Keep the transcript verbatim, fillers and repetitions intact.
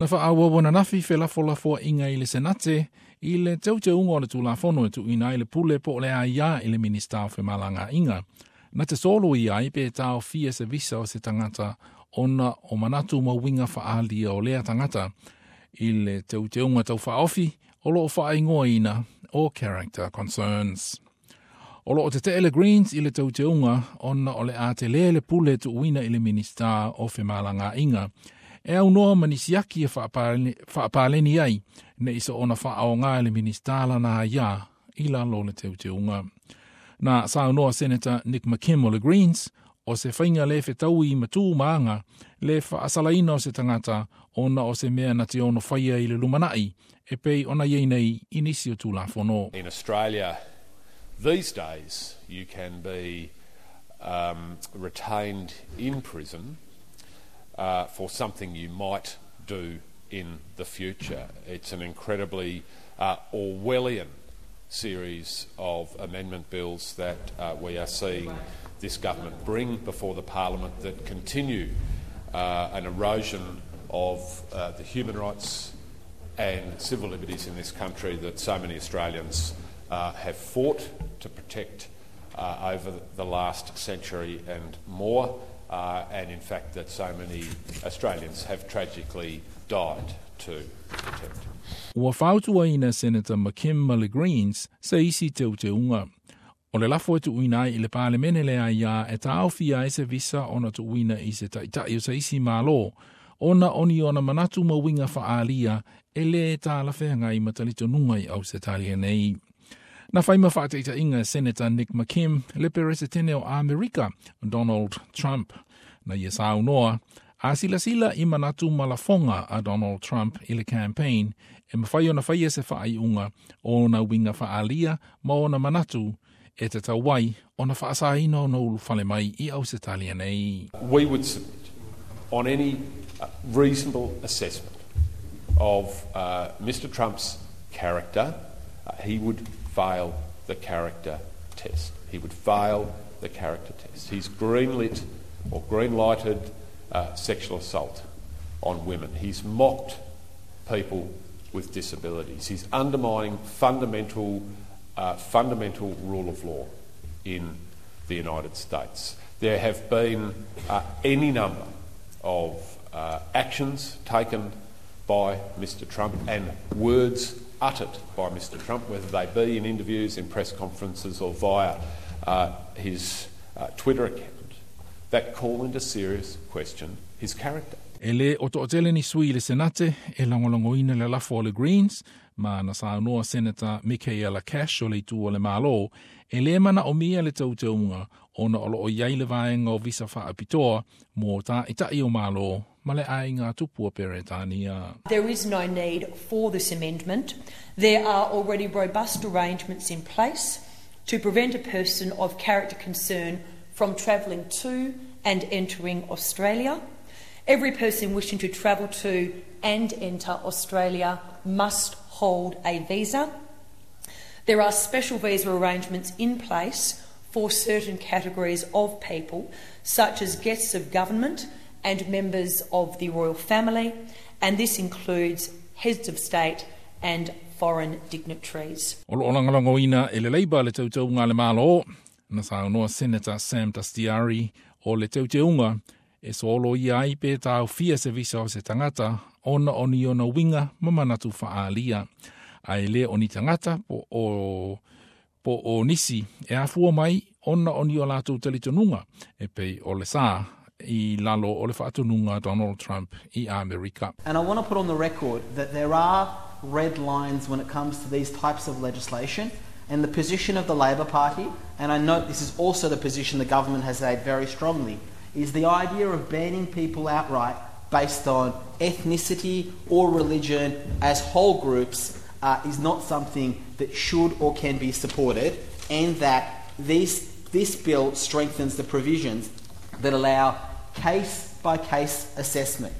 Na faaauau ananafi felafolafoaiga i le Senate i le teuteuga o le Tulafono e tuuina ai le pule po o le aiā i le Minisita o Femalagaaiga. Na te soloia ai pe taofia se visa o se tagata ona o manatu ma uiga faaalia o lea tagata i le teuteuga tau faaofi o loo faaigoaina o Character Concerns. O loo tetee le Greens i le teuteuga ona o le a tele le pule tuuina i le Minisita o Femalagaaiga e aunoa ma nisi aki e faapaleni ai nei soona faaaoga e le Minisita lana aiā i lalo o le teuteuga. Na saunoa Senator Nick McKim o le Greens o se faiga le fetaui ma tu ma aga le faasalaina o se tagata ona o se mea na te ono faia i le lumanai e pei ona iai nei i nisi o Tulafono. In Australia these days you can be um, retained in prison uh, for something you might do in the future. It's an incredibly uh, Orwellian series of amendment bills that uh, we are seeing this government bring before the parliament that continue uh, an erosion of uh, the human rights and civil liberties in this country that so many Australians uh, have fought to protect uh, over the last century and more, uh, and in fact that so many Australians have tragically died to protect. Ua fautuaina Senator McKim ma le Greens se isi teuteuga. O le lafo e tuuina ai i le Palemene le aiā e taofia ai se visa ona tuuina i se ta'ita'i o se isi Malo, ona o ni ona manatu ma uiga faaalia e lē talafeagai ma talitonuga i Ausetalia nei. Na fai ma faataitaiga Senator Nick McKim le Peresetene o Amerika, Donald Trump. Na ia saunoa, a silasila i manatu ma lafoga a Donald Trump i le campaign e mafai ona faia se faaiuga o ona uiga faaalia ma ona manatu e tatau ai ona faasaina ona ulufale mai i Ausetalia nei. We would submit on any uh, reasonable assessment of uh, Mister Trump's character, uh, he would fail the character test. He would fail the character test. He's greenlit or green-lighted uh, sexual assault on women. He's mocked people with disabilities. He's undermining fundamental, uh, fundamental rule of law in the United States. There have been uh, any number of uh, actions taken by Mister Trump and words uttered by Mister Trump, whether they be in interviews, in press conferences or via uh, his uh, Twitter account, that call into serious question his character. E le o toatele ni sui i le Senate e lagolagoina le lafo o le Greens, ma na saunoa Senator Michaela Cash o le itu o le Malo, e lē manaomia le teuteuga ona o loo iai le vaega o visa faapitoa mo ta'ita'i o Malo ma le aiga tupu o Peretania. There is no need for this amendment. There are already robust arrangements in place to prevent a person of character concern from travelling to and entering Australia. Every person wishing to travel to and enter Australia must hold a visa. There are special visa arrangements in place for certain categories of people, such as guests of government and members of the royal family, and this includes heads of state and foreign dignitaries. O loo lagolagoina e le Labour le teuteuga a le Malo. Na saunoa Senator Sam Dastyari o le teuteuga e soloia ai pe taofia se visa o se tagata ona o ni ona uiga ma manatu faaalia. Ae le o ni tagata po o, po o nisi e afua mai ona o ni o latou talitonuga e pei o le sa i lalo o le faatonuga Donald Trump i Amerika. And I want to put on the record that there are red lines when it comes to these types of legislation, and the position of the Labor Party, and I note this is also the position the government has made very strongly, is the idea of banning people outright based on ethnicity or religion as whole groups uh, is not something that should or can be supported, and that these, this bill strengthens the provisions that allow case-by-case assessment.